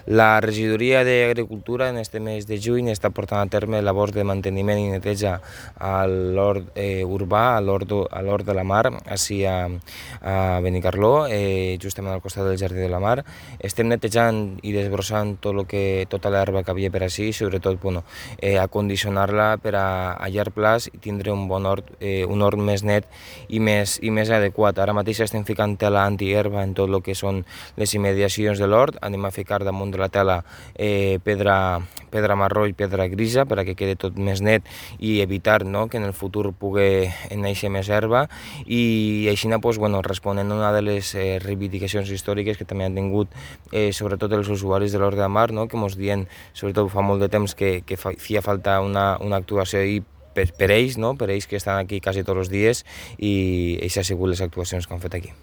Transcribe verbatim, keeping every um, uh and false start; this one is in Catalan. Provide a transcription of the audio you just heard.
La regidoria d'Agricultura en este mes de juny està portant a terme labors de manteniment i neteja a l'hort eh, urbà, a l'hort de la Mar, així a, a Benicarló, eh, justament al costat del Jardí de la Mar. Estem netejant i desbrossant tot lo que, tota l'herba que havia per així, sobretot bueno, eh, acondicionar-la per a, a llarg plaç i tindre un bon hort, eh, un hort més net i més, i més adequat. Ara mateix estem ficant tela antiherba en tot el que són les immediacions de l'hort. Anem a ficar damunt de la tela eh, pedra, pedra marró i pedra grisa per a que quede tot més net i evitar, no, que en el futur pugui néixer més herba, i així pues, bueno, responent a una de les eh, reivindicacions històriques que també han tingut eh, sobretot els usuaris de l'hort de la Mar, no, que ens diuen sobretot fa molt de temps que, que feia falta una, una actuació i per, per ells, no, per ells que estan aquí quasi tots els dies, i aquestes han sigut les actuacions que han fet aquí.